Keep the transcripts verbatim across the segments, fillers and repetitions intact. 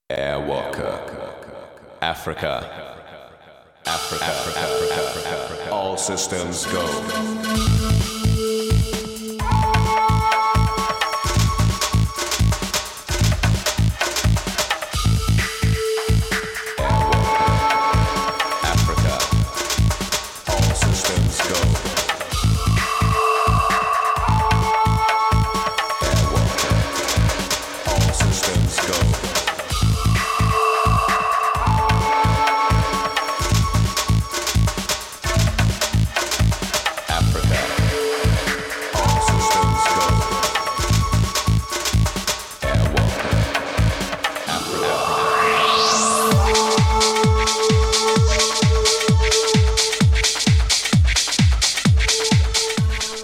Airwalker, Africa, Africa, Africa, Africa, Africa. All systems go.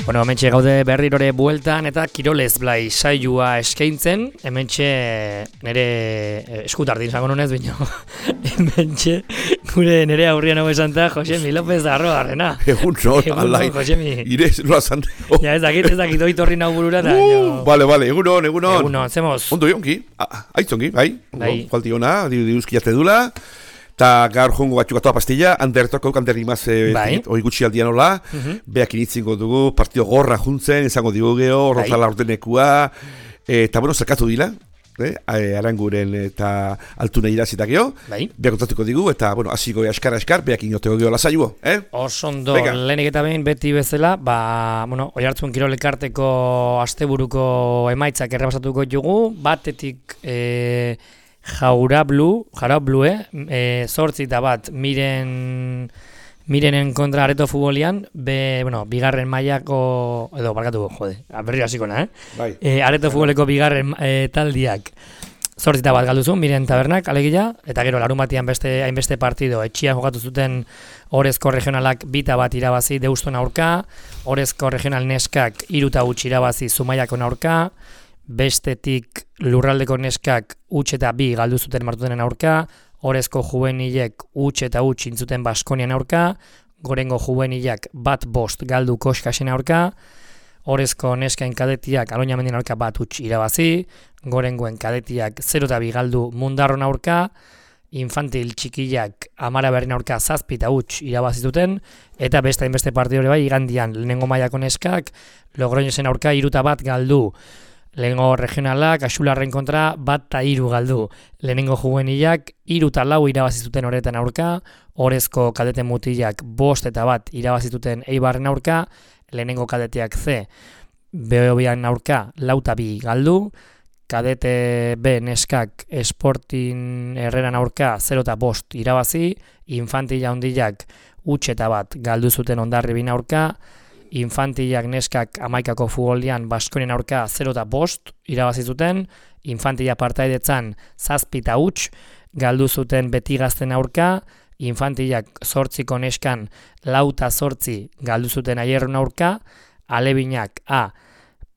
Bueno, hementxe gaude berrirore bueltan eta Kirolez Blai saioa eskaintzen, hementxe nire eskutardin izango nunez, bino, hementxe gure nire aurrian hau esanta Josemi López Arroarrena. Egun no, alai, irez, nola zan. Oh. Ja, ez dakit, ez dakit, oitorri nau burura eta... Uh, vale, vale, egun on, egun on. Egun on, zemoz. Ondo jonki, aitzongi, bai, bai. Falti hona, diruzki jazte dula. Eta gaur jongo batxuk atoa pastilla, handertoko handerrimaz bai. Hoi gutxi aldian hola, uh-huh. Beak initzingo dugu, partido gorra juntzen, izango digu geho, rozala bai. Ordenekua, eta bueno, zerkatu dila, eh? Aranguren eta altuna irazita geho, bai. Beak kontatuko digu, eta bueno, hasiko askar askar, beak inoteko geho lasaiuo, eh? Osondo, lehenik eta behin beti bezala, ba, bueno, Oiartzun Kirolekarteko asteburuko emaitzak errepasatuko dugu, batetik... Eh, Jaurablu, Jaurablu, eh, zortzi eta bat miren, mirenen kontra Areto futbolian, be, bueno, bigarren mailako, edo, barkatu, jode, berri hasikona, eh? Bai. Eh, Areto futboleko bigarren eh, taldiak zortzi eta bat galduzu, miren tabernak, alegia, eta gero larun batian beste, hainbeste partido, etxian jokatu zuten Orezko regionalak bita bat irabazi Deuston aurka, Orezko regional neskak iruta huts irabazi Zumaiako aurka, bestetik lurraldeko neskak huts eta bi galdu zuten Martutenen aurka, Orezko juvenilek huts eta huts intzuten Baskonian aurka, Gorengo juvenilak bat bost galdu Koskasen aurka, Orezko neskain kadetiak Aloñamendien aurka bat huts irabazi, Gorengoen kadetiak zero eta bi galdu Mundarron aurka, infantil txikiak Amara Berrin aurka zazpi eta huts irabazi zuten, eta beste hainbeste partidore bai igandian lehenengo mailako neskak Logroñosen aurka hiruta bat galdu. Lehenengo regionalak, Axularren kontra, bat eta hiru galdu. Lehenengo juvenilak, hiru eta lau irabazituten horretan aurka, Orezko kadete mutilak bost eta bat irabazituten Eibarren aurka, lehenengo kadeteak Z, Behobian aurka, lau eta bi galdu, kadete B neskak Sporting Herreran aurka, zero eta bost irabazi, infantila hondilak huts eta bat galdu zuten Hondarribin aurka, infantilak neskak hamaikako futbolian Baskonian aurka zero eta bost irabazi zuten, infantila partaidetzan zazpi eta huts galdu zuten Beti Gazten aurka, infantilak zortziko neskan lau eta zortzi galdu zuten Aierron aurka, alebinak A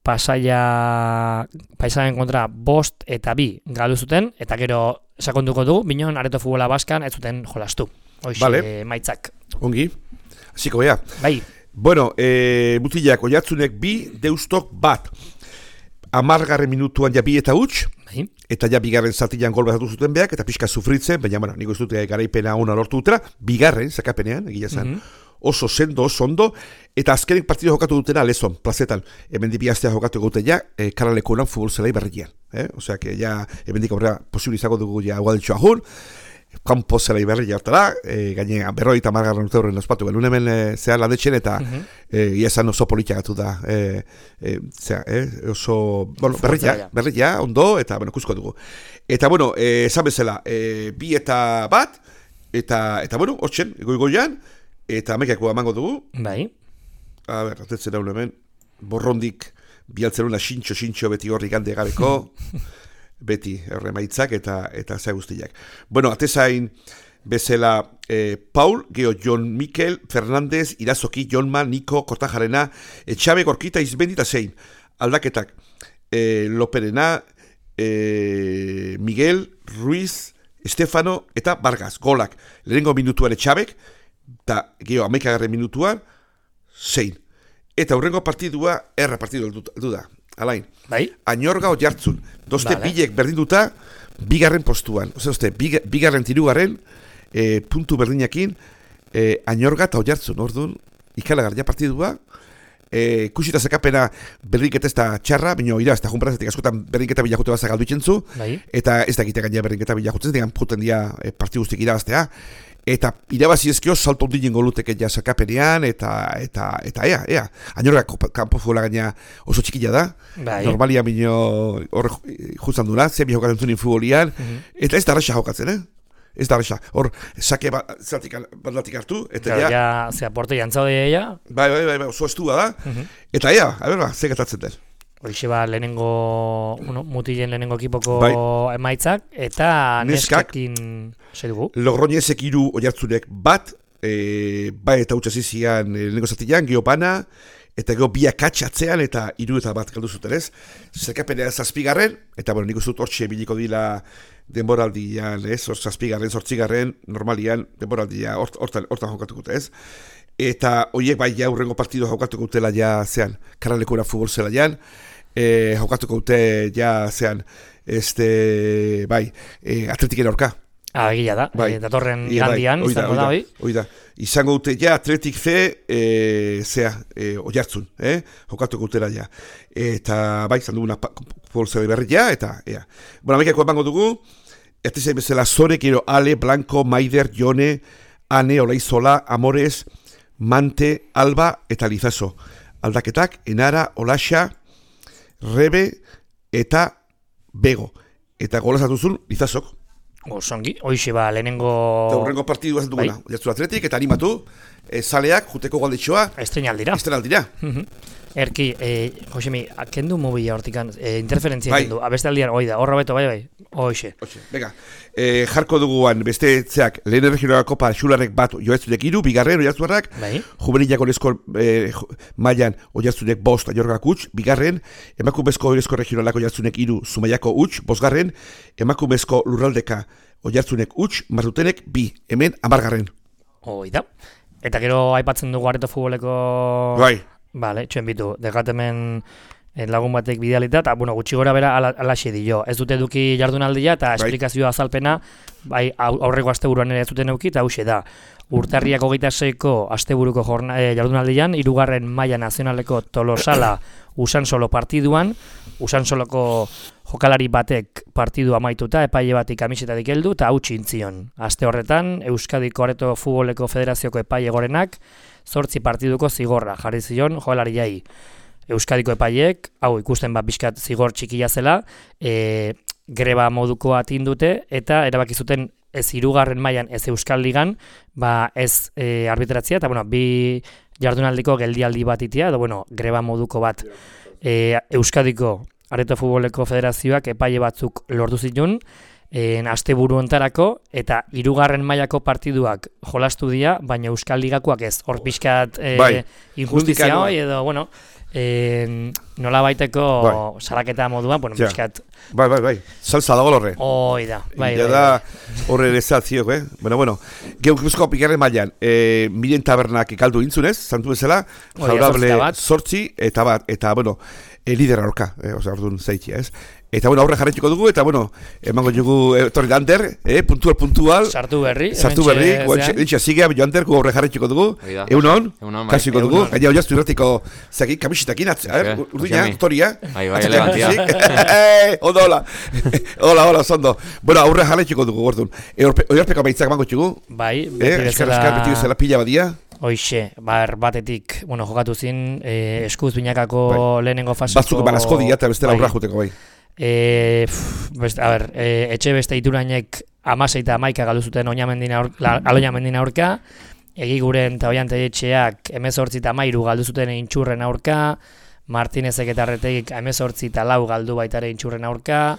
Pasaia Paisaren kontra bost eta bi galdu zuten, eta gero sakonduko du, binon Areto futbola Baskan ez zuten jolastu. Hoxe, vale. Maitzak. Ongi, hasiko bea. Bai. Bueno, e, mutilak Oiartzunek bi, Deustok bat. Amargarren minutuan ja bi eta huts, bai. Eta ja bigarren zatian gol bat zuten beak, eta pixka sufritzen, baina, bueno, niko ez dute garaipena ona lortu dutera, bigarren, zakapenean, egia zen, mm-hmm. Oso sendo, oso ondo, eta azkenek partido jokatu dutena lezon, plazetan, hemen dibiaztea jokatu gute ja, e, karaleko lan futbol zelai berrikian. Eh? Osea, que ja, hemen dik aurrera posible izango dugu ja guadetxo ahun, kampo zelai berri jartara, e, gaine berroi eta margarren urte horren ospatu, belun hemen e, zehar landetxen eta uh-huh. e, iazan oso politiakatu da, e, e, zera, e, oso, bueno, berria, berria, ondo, eta, bueno, kusko dugu. Eta, bueno, e, esan bezala, e, bi eta bat, eta, eta bueno, hortzen, goigoian, eta amekako amango dugu. Bai. A ber, atetzen hau hemen, borrondik, bialtzeruna xintxo, xintxo, beti horri gande gabeko, beti erremaitzak eta eta za guztiak. Bueno, atezain bezala eh, Paul, Geo, Jon Mikel, Fernandez, Irazoki, Jonma, Niko, Kortajarena, Etxabe, Gorkita, Izbendi eta zein. Aldaketak, eh, Loperena, eh, Miguel, Ruiz, Estefano eta Vargas. Golak, lehenengo minutuan Etxabek, eta Geo, amaikagarren minutuan, zein. Eta hurrengo partidua, erra partidu du da. alain. Bai. Añorga Oiartzun. Doste Vale. bilek berdinduta, bigarren postuan. Oze, oste, big, bigarren tirugarren, e, puntu berdinakin, e, Añorga eta Oiartzun. Orduan, ikalagarria partidua, e, kusita zekapena berdinketa ez da txarra, baina ira, ez da junparazetik askotan berdinketa bilakute bazak aldu itxentzu, Bai. eta ez da egite gaina berdinketa bilakutzen, digan puten dia e, parti guztik irabaztea, eta irabazi ezkio salto ondinen goluteke ja zakapenean, eta, eta, eta ea, ea. Añorga kanpo futbola gaina oso txikila da, Bai. normalia minio horre justan duna, zebi jokatzen zunin futbolian, Mhm. eta ez da arresa jokatzen, eh? Ez da arresa. Hor, sake ba, zertik, baldatik hartu, eta Claro, ja, ja, zera, porte jantzaude ja. bai, bai, bai, bai, oso estua da, Mhm. eta ea, a ber, ba, ze gertatzen den. Horixe ba, lehenengo, bueno, mutilen lehenengo ekipoko Bai. emaitzak, eta Neskak. neskekin, zer dugu? Logroñezek hiru Oiartzunek bat, e, bai eta utza zizian e, lehenengo zatian, geho bana, eta geho biak atxatzean, eta hiru eta bat galdu zuten ez. Zerkapenea zazpigarren, eta bueno, nik uste dut hortxe biliko dila denboraldian, ez, hor zazpigarren, zortzigarren, normalian, denboraldia hort- hortan hortan jokatuko dute, ez. Eta horiek bai ja hurrengo partido jokatuko dutela ja zean, karralekura futbol zela jan, e, jokatuko dute ja zean, este, bai, e, atletiken aurka. Ah, egia da, Bai. eh, datorren Ia, bai, igandian, hoi da, izango hoi da, da, hoi? hoi da. Izango dute ja Atletik fe, e, zea, e, Oiartzun, eh? Jokatuko dutela ja. Eta bai, izan duguna polzade berri ja, eta ea. Bueno, amekako emango dugu, ertizai bezala Zore, gero Ale, Blanco, Maider, Jone, Ane, Olaizola, Amores, Mante, Alba eta Lizaso. Aldaketak, Enara, Olaxa, Rebe eta Bego. Eta golazatuzun Lizasok. Osongi, hoixe ba, lehenengo... Eta hurrengo partidua ez duguna. Bai. Oiartzun Atletik eta animatu, e, zaleak, juteko galdetxoa, Estreinaldira. estrenaldira. Mhm. Erki, eh, Josemi, kendu mobila hortikan, eh, interferentzia Bai. kendu, abeste aldian, hoi da, horra beto, bai, bai, hoixe. Oxe, venga, e, jarko duguan beste zeak, lehen erregionala kopa xularek bat Oiartzunek hiru, bigarren Oiartzuarrak, Bai. juvenilak orezko e, mailan Oiartzunek bost, Añorgak huts, bigarren, emakumezko orezko regionalak Oiartzunek hiru, Zumaiako huts, bosgarren, emakumezko lurraldeka Oiartzunek huts, Martutenek bi, hemen amargarren. Hoi da. Eta gero aipatzen dugu areto futboleko... Bai, Vale, txuen bitu, degatemen eh, lagun batek bidealita, eta bueno, gutxi gora bera ala, alaxe dio. Ez dute eduki jardunaldia eta Bai. esplikazioa azalpena, bai au- aurreko asteburuan ere ez duten eduki, eta hauxe da. Urtarriak hogeita seiko asteburuko jorna, eh, jardunaldian, hirugarren maila nazionaleko Tolosala Usansolo partiduan, Usansoloko jokalari batek partidu amaituta, epaile batik kamisetatik heldu eta hau txintzion. Aste horretan, Euskadiko Areto Futboleko Federazioko epaile gorenak, zortzi partiduko zigorra jarri zion jokalariai. Euskadiko epaileek, hau ikusten bat bizkat zigor txikia zela, e, greba moduko atindute eta erabaki zuten ez hirugarren mailan ez Euskal Ligan, ba ez e, arbitratzia eta bueno, bi jardunaldiko geldialdi bat itia, edo bueno, greba moduko bat. E, Euskadiko Areto Futboleko Federazioak epaile batzuk lortu zituen, en asteburu hontarako eta hirugarren mailako partiduak jolastu dira, baina Euskal Ligakoak ez. Hor pixkat e, Bai, injustizia justizia hoi edo bueno, e, nola baiteko Bai. salaketa moduan, bueno, Ja. pixkat bai, bai, bai, salsa dago horre. hoi da. Bai, Ja bai, da bai. horre lezatziok, eh? Bueno, bueno, geukuzko pikarren mailan, e, miren tabernak galdu intzunez, zantu bezala, Hori, favorable zortzi bat. sortzi, eta bat, eta, bueno, e, lider aurka, eh, osea, orduan zeitia, ez? Eta, bueno, aurre jarretxiko dugu, eta, bueno, emango dugu e, torri lander, eh, puntual, puntual, Sartu berri. sartu hementxe berri, guantxe, zean. lintxa zigea, bilo ander, gu aurre jarretxiko dugu, Hori da. egun hon, Egun on, bai. kasiko Egun dugu, on. gaina oiaztu irratiko, zaki, kamisitakin atzea, eh? Eske, Urduina, Josemi. toria. Bai, bai, Atzatea, elegantia. zik? Ondo, hola. Hola, hola, zondo. Bueno, aurre jarretxiko dugu, orduan. E, oiarpeko maitzak mango txugu, Bai, eh? beti Eskar, eskar, beti bezala pila badia. Hoixe, bar batetik, bueno, jokatu zin, eh, eskuz binakako lehenengo faseko... Batzuk eman asko dira, eta bestela bai. aurra juteko, bai. E, pff, best, a ber, e, etxe beste iturainek amasei eta amaika galdu zuten oinamendina aur, la, aloinamendina aurka, egiguren eta oiante etxeak emezortzi eta amairu galdu zuten intxurren aurka, Martinezek eta Arretegik emezortzi eta lau galdu baitare intxurren aurka,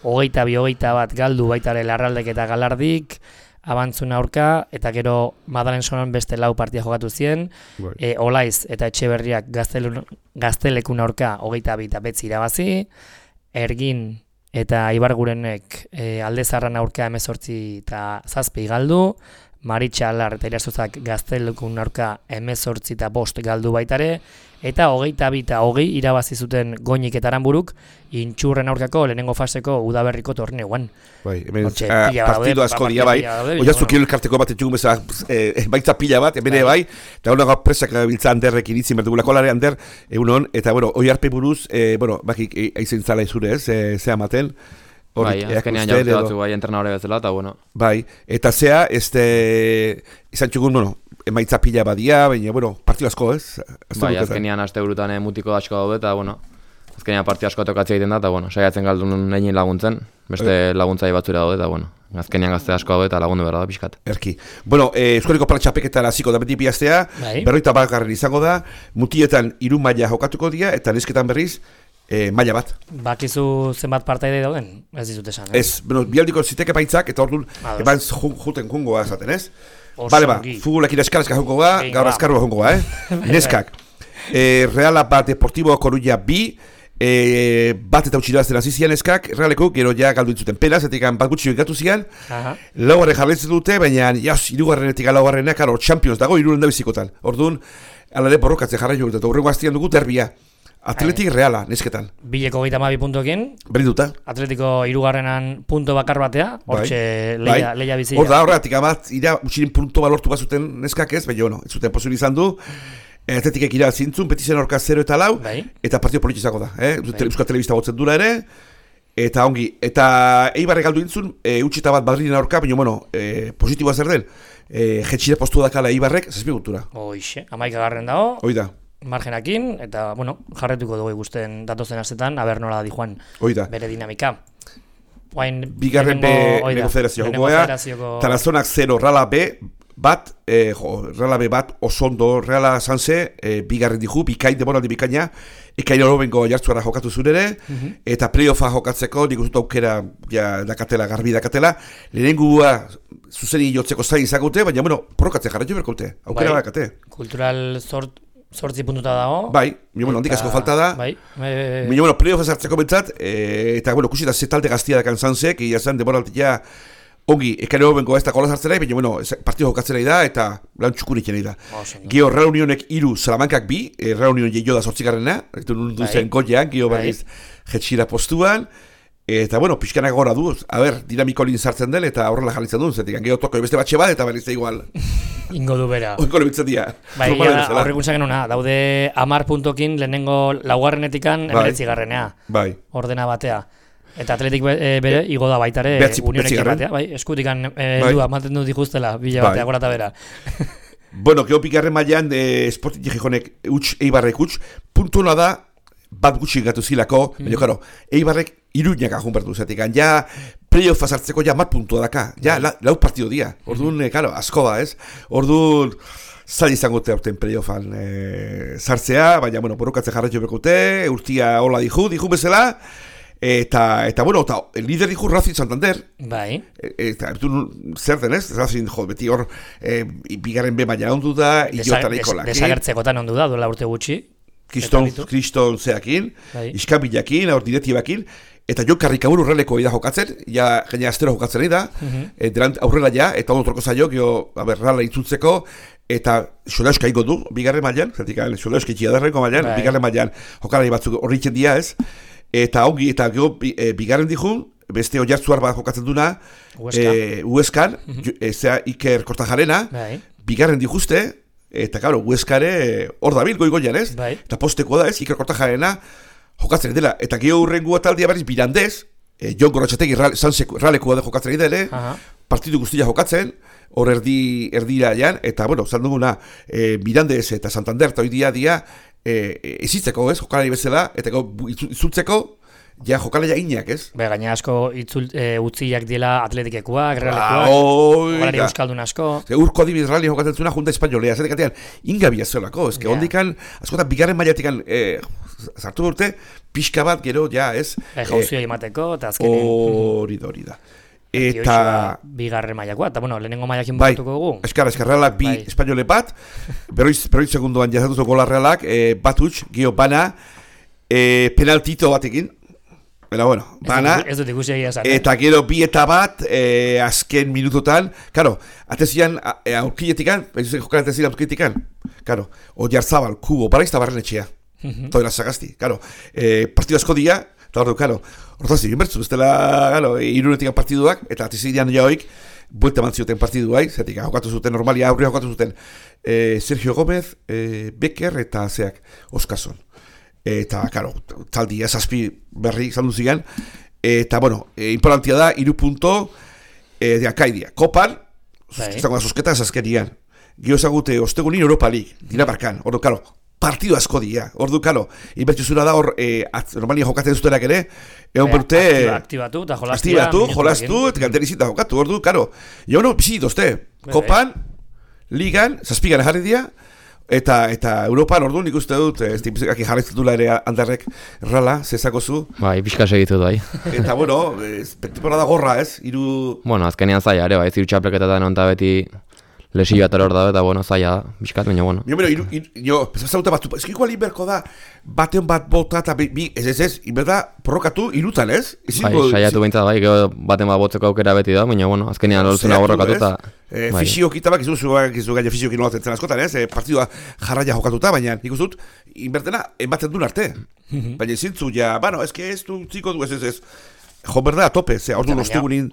hogeita bi hogeita bat galdu baitare Larraldek eta Galardik, abantzun aurka, eta gero Madalen Sonon beste lau partia jokatu zien, Bai. e, Olaiz eta Etxeberriak gaztelun, gaztelekun aurka hogeita bi eta betzi irabazi, Ergin eta Ibargurenek e, alde zarran aurka emezortzi eta zazpi galdu, Maritxalar eta Irasozak Gaztelekun aurka hemezortzi eta bost galdu baitare, eta hogeita bi eta hogei irabazi zuten Goñik eta Aranburuk Intxurren aurkako lehenengo faseko udaberriko torneuan. Bai, hemen partidu asko dira bai. Oiaztu kilo elkarteko bat etxugun bezala baitza pila bat, hemen bai, eta hona presak biltza Anderrek iritzin berdugula kolare Ander, egunon, eta bueno, oi harpe buruz, bueno, bakik aizen zala izure ez, zea maten. Bai, azkenean jaurte batzu bai entrenadore bezala, eta bueno. Bai, eta zea, este, izan txugun, bueno, emaitza pila badia, baina, bueno, partidu asko, ez? Bai, azkenean aste burutan mutiko asko daude, eta, bueno, azkenean partidu asko tokatzea egiten da, eta, bueno, saiatzen galdun egin laguntzen, beste laguntzai batzura daude, eta, bueno, azkenean gazte asko daude, eta lagundu behar da, pixkat. Erki. Bueno, eh, Euskariko Palatxapeketara hasiko da beti bihaztea, berroita bat garren izango da, mutietan hiru maila jokatuko dira, eta nesketan berriz, E, maila bat. Bakizu zenbat partaide dauden? Ez dizut esan, eh? Ez, bueno, bialdiko ziteke paitzak, eta orduan, eban juten jungoa esaten, ez? Bale ba, futbolak iraskarazka jungoa, gaur azkarroa jungoa, eh? Neskak. E, Reala bat Deportibo Coruña bi, e, bat eta utxirazten azizian eskak, Realeko, gero ja galdu intzuten penaz, etik bat gutxi gatu zian, laugarren jarraitzen dute, baina, jas, irugarrenetik laugarrenak, aro, Champions dago, iruren da bizikotan. Orduan, alare borrokatzen jarrai jurtu, eta horrengo aztian dugu derbia. Atletik Reala, nesketan. Bileko gehieta mabi puntokin. Berinduta. Atletiko irugarrenan punto bakar batea, hortxe leia, leia bizia. Hor da, horretik amat, ira utxirin punto balortu bat zuten neskak ez, baina, bueno, ez zuten posibil izan du. Atletikek ira zintzun, petizen orka zero eta lau, bai. Eta partio politizako da, eh? Bai. Euskal Telebista gotzen dura ere, eta ongi, eta Eibarre galdu intzun, e, utxita bat Madriden aurka, baina, bueno, e, positiboa zer den, e, jetxire postu dakala Eibarrek, zazpi gultura. Hoixe, amaika garren dago. Hoi da. Margenakin, eta, bueno, jarretuko dugu ikusten datozen astetan, aber nola di joan bere dinamika. Oain, bigarren B, Lehenengo Federazio jokoa, Tarazonak zero, Reala B, bat, eh, jo, Reala B bat, osondo, Reala Sanse, eh, bigarren dihu, bikain, demoraldi bikaina, ekain orobengo jartzuara jokatu zurere, uh -huh. eta playoffa jokatzeko, nik uste aukera, ja, dakatela, garbi dakatela, lehenengua, zuzeni jotzeko zain izagute, baina, bueno, porrokatzen jarraitu berkote, aukera bai, dakate. Kultural zort, Zortzi puntuta dago. Bai, mi bueno, handik asko falta da. Bai. E... Mi bueno, playoff sartzeko bentzat, e, eta bueno, kusita ze talde gaztia dakan Sansek, ia zen demoraltia ongi, ekare hobenko ez da gola sartzera, baina bueno, partido jokatzera da eta lan txukurik da. Oh, Gio Reunionek hiru, Salamankak bi, e, Reunion jeio da zortzigarrena, eta nundu zen goian, gio berriz jetxira postuan. Eta, bueno, pixkanak gora du, a ber, dinamiko lin sartzen den, eta horrela jarritzen duen, zetik, geho toko beste batxe bat, eta berriz da igual. Ingo du bera. Oiko lebitzen dira. Bai, horrekuntzak genuna, daude amar puntokin lehenengo laugarrenetikan emeretzi garrenea. Bai. Ordena batea. Eta atletik be, bere, igo da baitare unionekin batea. Bai, eskutikan e, bai. Dua, maten du dijustela, bila batea, bai. Gora eta bera. Bueno, geho pikarren mailan, eh, Sporting Gijonek utx, Eibarrek utx, puntu da, bat gutxi gatu zilako, mm. baina, karo, Eibarrek iruñak ajun bertu zetik, ja playoffa sartzeko ja mat puntua daka, ja la, lau partido dia, orduan, mm. karo, asko da, ez? Orduan, zail izango te aurten playoffan e, sartzea, baina, bueno, borrokatzen jarretxo bekute, urtia hola dihu, dihu bezala, eta, eta, bueno, eta lider dihu Racing Santander. Bai. Eta, du, zer denez, Racing, jo, beti hor, e, bigarren be baina ondu da, iotareko laki. Desagertzekotan ondu da, duela urte gutxi. Kriston, kriston zeakin, bai. Iskabilakin, hor diretibakin, eta jo karrikaburu horreleko ida jokatzen, ja jena astero jokatzen da, uh -huh. e, aurrela ja, eta ondo troko zailo, gio, a ber, rala itzutzeko, eta Xoleuska igo du, bigarren mailan, zertik, Xoleuska itxiadarreko mailan, bai. Bigarren mailan jokalari batzuk horritzen dia ez, eta ongi, eta gio, e, bigarren dihun, beste oiartzuar bat jokatzen duna, Ueskan, uh -huh. e, zea Iker Kortajarena, bai. Bigarren dihuzte, eta claro, Hueskare hor dabil goigoian ez, bai. Eta postekoa da ez, Iker Kortajarena jokatzen dela, eta geho urrengua taldia berriz Birandez, e, Jon Gorrotxategi ralekua da jokatzen dela, uh-huh. Partidu guztia jokatzen, hor erdi, erdira jan, eta bueno, zan duguna, e, Birandez eta Santander eta hoidia dia, e, ezitzeko ez, jokalari bezala, eta itzultzeko, ja jokalaia inak, ez? Be, gaina asko itzul, e, utziak dila atletikekuak, realekuak, jokalari euskaldun asko. Urko adibiz rali jokatzen zuna junta espainolea, zetek atean, ingabia zelako, ez que yeah. Ondikan, askotan, bigarren maiatikan, e, zartu urte, pixka bat gero, ja, ez? E, jauzio emateko, eta azkenin. Hori da, hori da. Eta... bigarren maiakoa, eta bueno, lehenengo maiakin bukatuko dugu. Bai, eskara, eskarrealak bi bai. Espainole bat, berroiz, berroiz segundoan jazatuzo gola realak, e, bat utx, gio bana, e, penaltito batekin, Eta bueno, bana, ez dut ikusi egia esan. eta gero bi eta bat, e, azken minutotan, karo, atezian aurkiletikan, jokan atezian aurkiletikan, karo, Oyarzabal, Kubo, Baraizta Barrenetxea, toela sagazti, karo, e, partidu asko dia, eta hor du, karo, hortaz, inbertzu, ez dela, karo, irunetikan partiduak, eta atezian jaoik, buelta eman zioten partiduai, zetik, jokatu zuten, normalia aurria jokatu zuten, e, Sergio Gómez, e, Becker eta zeak, Oskason. Eta, karo, taldi zazpi berri izan duzigan, eta, bueno, e, importantia da, iru punto e, de akaidia. Kopan, izango da zuzketa azazkenian. Gio ezagute, ostegunin Europa League, Dinamarkan, ordu, karo, partidu asko dia, ordu, karo, inbertsuzura da hor, e, normalia jokatzen zutenak ere, egon berute... Aktibatu, eta jolastu. Aktibatu, jolastu, eta galderizita jokatu, ordu, karo. Jo, no, bizi dozte, Kopan, Ligan, zazpigan jarri dia, Eta eta Europan orduan ikuste dut, ez dipizikaki jarraitzen dula ere aldarrek rala, zezako zu. Bai, pixka segitu bai. Eta bueno, temporada gorra ez, iru... Bueno, azkenean zaila ere, bai, ziru txapelketetan onta beti lesio eta hor da, eta bueno, zaila da, bizkat, baina bueno. Jo, iru, iru, jo, pesazauta bat, ez igual inberko da, baten bat bota eta bi, ez ez ez, inberda porrokatu irutan ez? Bai, saiatu behintzat bai, gero baten bat botzeko aukera beti da, baina bueno, azkenean lortzuna borrokatu eta... E, bai. Fisiokitabak izu zuak izu gaia fisiokin nolatzen zen askotan, ez? E, partidua jarraia jokatuta, baina nik uste dut, inbertena, enbatzen duen arte. Baina zintzu, ja, bueno, ez que ez du ziko du, ez ez ez. Jo, berda, a tope, ze, ordu nostegunin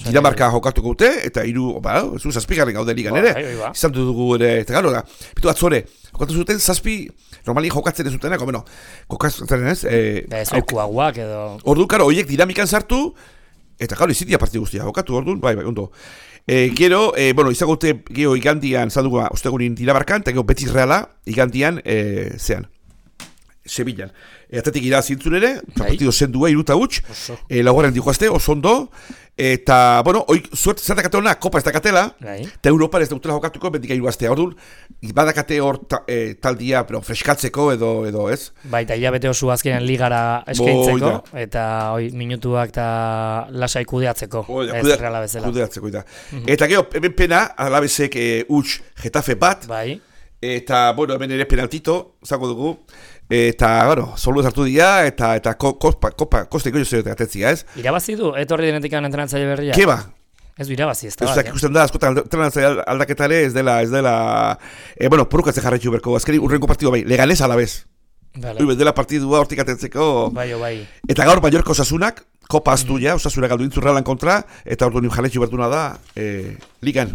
Dinamarka jokatuko dute, eta hiru, ba, ez du, zazpigarren gaude ligan ere. Izan dugu ere, eta gano da, bitu atzore, jokatu zuten zazpi, normali jokatzen ez zutenak, bueno, jokatzen ez. Ez okuaguak edo... Ordu, karo, horiek dinamikan sartu, eta gano, izitia partidu guztia jokatu, orduan, bai, bai, ondo. E, gero, e, bueno, izagote gero igandian, zaldugu, ostegunin Dinamarkan, eta gero Betis Reala, igandian, e, zean, Sevillan. E, atetik irazintzun ere, partido zendua, iruta huts, e, laugarren dihoazte, oso ondo, eta, bueno, oik, zuert, zer dakate hona, kopa ez dakatela, eta Europa ez dautela jokatuko, bendika iruaztea, orduan, badakate hor ta, e, taldia, pero freskatzeko edo, edo ez. Bai, eta hilabete oso azkenean ligara eskaintzeko, Bo, eta oi, minutuak eta lasai kudeatzeko, o, ja, ez kudea, Reala bezala. Kudeatzeko, eta. Mm-hmm. Eta gero, hemen pena, alabezek e, huts Getafe bat, bai. Eta, bueno, hemen ere penaltito, zango dugu, eta, bueno, solu hartu dira, eta, eta kopa, kopa, koste ikoio zero atetzia, ez? Irabazi du, etorri denetik entrenatzaile berria? Keba? Ez du irabazi, ez da bat, ja? Ez ikusten da, askotan entrenatzaile aldaketare, ez dela, ez dela, e, bueno, porukatzen jarretxu berko, azkeri urrenko partidu bai, leganez alabez. Vale. Ui, dela partidua hortik atentzeko. Bai, bai. Eta gaur Mallorca Osasunak, kopa aztu ja, Osasuna galdu intzu Realan kontra, eta ordu nio jarretxu bertuna da, e, ligan.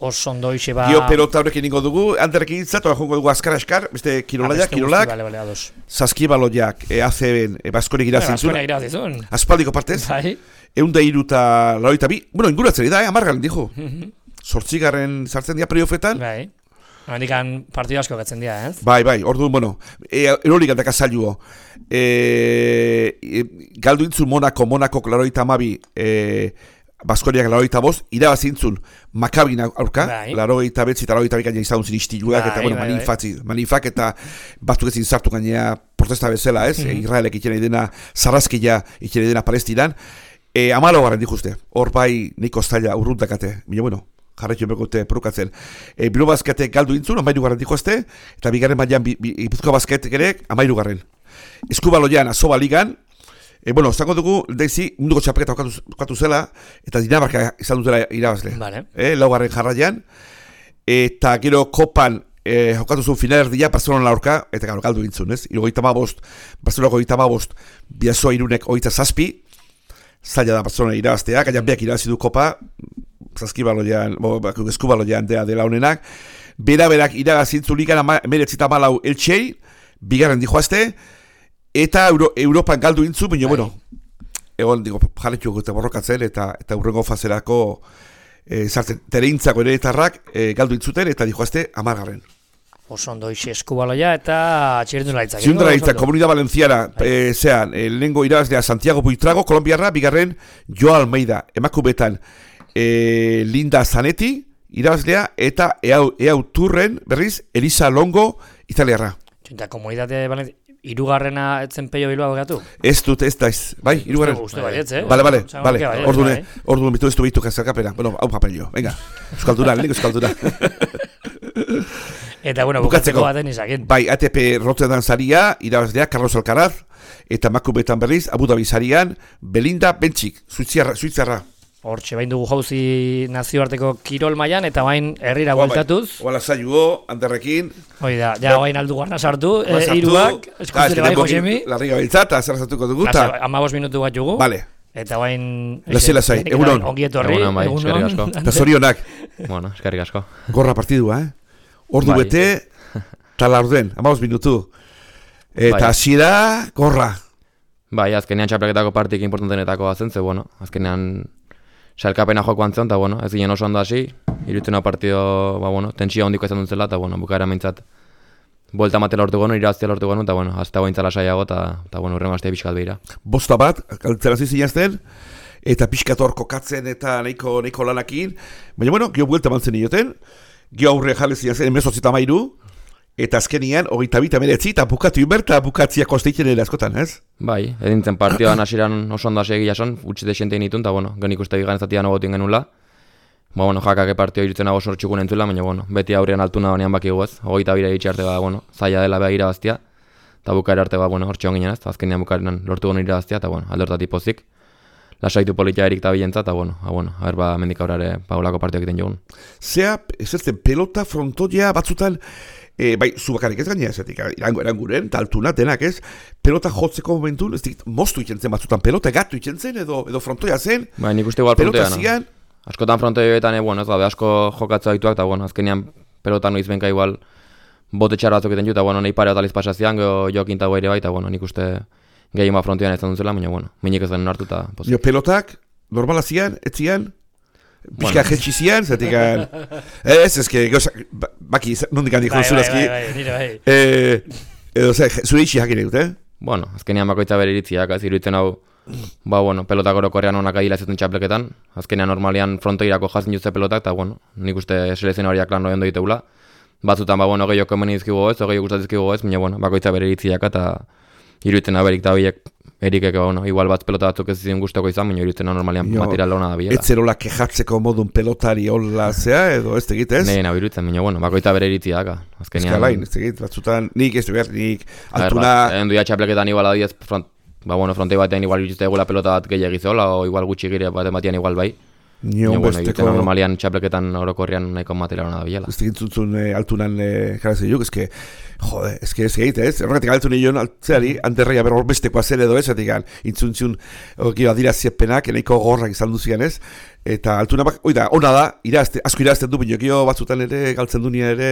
Oso ondo ixe ba... Gio pelota horrekin ningo dugu, handerrekin intzat, oa jongo dugu azkar askar, beste kirolaiak, kirolak, vale, vale, ados. Saskibaloiak, e, A C B-en, e, Baskonek irazintzun. Baskonek irazintzun. Aspaldiko partez. Bai. Eunda iruta laroita bi, bueno, inguratzen da, eh, amargalen dijo. Zortzigarren sartzen dira periofetan. Bai. Handikan partidu asko gatzen dira, ez? Bai, bai, orduan, bueno, e, erolikan daka zailuo. E, e, galdu intzun Monako, Monako laroita amabi, e, Baskoniak laroita bost, irabazintzun Makabin aurka, bai. laroita betzi eta laroita bikaina izan zin istiluak, bai, eta bueno, bai, manifatzi, bai. manifak eta batzuk ezin zartu gainea protesta bezala, ez? Mm-hmm. Israelek itxena idena, Sarrazkia itxena idena Palestinan. E, amalo garen dikuzte, hor bai niko zaila urruntakate, bila bueno, jarretxo bekote perukatzen. E, Bilo bazkete galdu intzun, amairu garen dikoazte, eta bigarren baian Ipuzkoa bazketek ere, amairu garen. Eskubaloian, Azoba ligan, E, bueno, zango dugu, deizi, munduko txapeketa okatu zela, eta Dinamarka izan dutela irabazle. Vale. E, laugarren jarraian, eta gero kopan e, jokatu zuen final erdia, Barcelona laurka, eta gero galdu gintzun, ez? Irogeita ma bost, Barcelonako goita ma bost, Biazoa irunek oita zazpi, zaila da Barcelona irabaztea, gaian beak irabazi du kopa, zazkibaloian, eskubaloian dea dela honenak, bera berak irabazintzu ligan, meretzita malau eltsei, bigarren dijoazte, eta Euro, Europan galdu intzu, baina, bueno, egon, digo, jarretxu gute borrokatzen, eta eta urrengo fazerako e, zartzen, tereintzako ere etarrak e, galdu intzuten, eta dijoazte amargarren. Oso ondo ixe eskubaloia eta txirrendulaitzak. Txirrendulaitza, Komunidad Valenciana, e, zean, e, lehengo irabazlea Santiago Buitrago, Kolombiarra, bigarren Jo Almeida, emakumetan e, Linda Zanetti, irabazlea, eta eau, eau turren, berriz, Elisa Longo, italiarra. Eta Komunidade Valenciana. Irugarrena etzen Peio Bilbao gatu? Ez dut, ez da, ez. Bai, irugarren. Uste baietz, eh? Bale, bale, bale. Ordune, ordune, bitu ez du bitu jazarkapera. Bueno, hau papelio. Venga, euskalduna, lehenko euskalduna. Eta, bueno, bukatzeko baten izakin. Bai, A T P Rotterdam saria, irabazlea Carlos Alcaraz, eta emakumeetan berriz, Abu Dhabi sarian, Belinda Bencic, Suitzarra. Hortxe, bain dugu jauzi nazioarteko kirol mailan eta bain herrira bueltatuz. Oala zailua, Anderrekin. Hoi da, ja bain aldu gana sartu, hiruak, eskuzile bai Josemi. Larriga biltzat, zer sartuko dugu. Amabos minutu bat jugu. Vale. Eta bain... Lasela zai, egunon. Ongi etorri, egunon. Bai, eskerrik asko. Eta zorionak. Bueno, eskerrik asko. Gorra partidua, eh? Ordu bai. Bete, tala orden, amabos minutu. Eta hasiera bai. Gorra. Bai, azkenean txapelketako partik importantenetako bazen, ze, bueno, azkenean sailkapena jokoan zen, eta, bueno, ez ginen oso ondo hasi, irutena partido, ba, bueno, tentsio handiko izan duntzela, eta, bueno, bukaera mintzat, buelta matela lortu gonu, irabaztia lortu gonu, eta, bueno, azta gointzala saiago, eta, eta, bueno, urrengo aztea pixkat behira. Bosta bat, galtzerazi zinazten, eta pixkat hor kokatzen, eta nahiko, nahiko lanakin, baina, bueno, gio buelta mantzen ioten, gio aurre jale zinazten, emezotzita mairu, eta azkenian, hogeita bita meretzi, eta bukatu inberta bukatzia kosteitzen ere askotan, ez? Bai, edintzen partioan hasieran oso ondo hasi egia son, utzi desientein itun, eta, bueno, genik uste bigan zatian ogotin genula. Ba, bueno, jakake partio irutzen nago sortxukun entzula, baina, bueno, beti aurrean altuna honean baki guaz, hogeita bira itxe arte, ba, bueno, zaila dela beha irabaztia, eta bukaera arte, ba, bueno, hortxe honginen ez, azkenean bukaeran lortu gonu irabaztia, eta, bueno, aldortatik pozik, lasaitu politia erik eta bilentza, eta, bueno, a, bueno, haber ba, mendik aurrare paulako partio egiten jogun. Zea, ez ez pelota frontoia batzutan, E, bai, zubakarik ez gainera ezetik, irango eranguren, eta altuna denak ez, pelota jotzeko momentu, ez dikit, moztu ikentzen batzutan, pelota gatu ikentzen, edo, edo frontoia zen, bai, nik uste igual pelota frontoia, zian, no? Askotan frontoioetan, e, bueno, ez gabe, asko jokatza dituak, eta, bueno, azkenean pelota noiz benka igual bote txar batzuk egiten ju, eta, bueno, nahi pare bat aliz pasazian, geho jokin tago ere bai, eta, bueno, nik uste gehien bat frontoian ez duzela, baina, bueno, minik ez den hartu, eta pozik. Jo, pelotak, normala zian, ez zian, pixka bueno. Jetxi zian, zetik, ez, ez, ez, baki, nondik handik jozun ezki, edo, zure itxi jakin egut, eh? Bueno, azkenean bakoitza bere iritziak, ez iruditzen hau, ba, bueno, pelotak orokorrean onak adila zuten txapleketan, azkenean normalian frontoirako jazin jutze pelotak, eta, bueno, nik uste selezien horiak lan noien doiteula, batzutan, ba, bueno, gehioko emeni dizkigu ez, gehioko gustatizkigu ez, baina, bueno, bakoitza bere iritziak, eta iruditzen haberik da horiek, erikek, bueno, igual bat pelota batzuk ez zizien guztoko izan, baina iruditzen normalian material hona da biela. Etzerola kejatzeko modun pelotari hola zea, edo ez tegit ez? Nei, nahi iruditzen, baina, bueno, bakoita bere iritziak, azkenean. Eskalain, ez tegit, batzutan, nik ez du behar, nik altuna... Endu ya txapleketan igual adiez, front, ba, bueno, frontei batean igual iruditzen egula pelota bat gehiagiz hola, o igual gutxi gire baten batian igual bai. Nio, bueno, iruditzen normalian txapleketan orokorrian nahiko material hona da biela. Ez tegit zuntzun eh, altunan eh, jarazen juk, eske... Jode, ez que ez egite, ez? Horregatik galtu nion altzeari, anterreia ber horbestekoa zen edo ez, etik intzuntziun adiraziepenak, eneiko gorrak izan duzian ez, eta altuna bak, oida, ona da, irazte, asko irazten du, baina gio batzutan ere, galtzen du nien ere,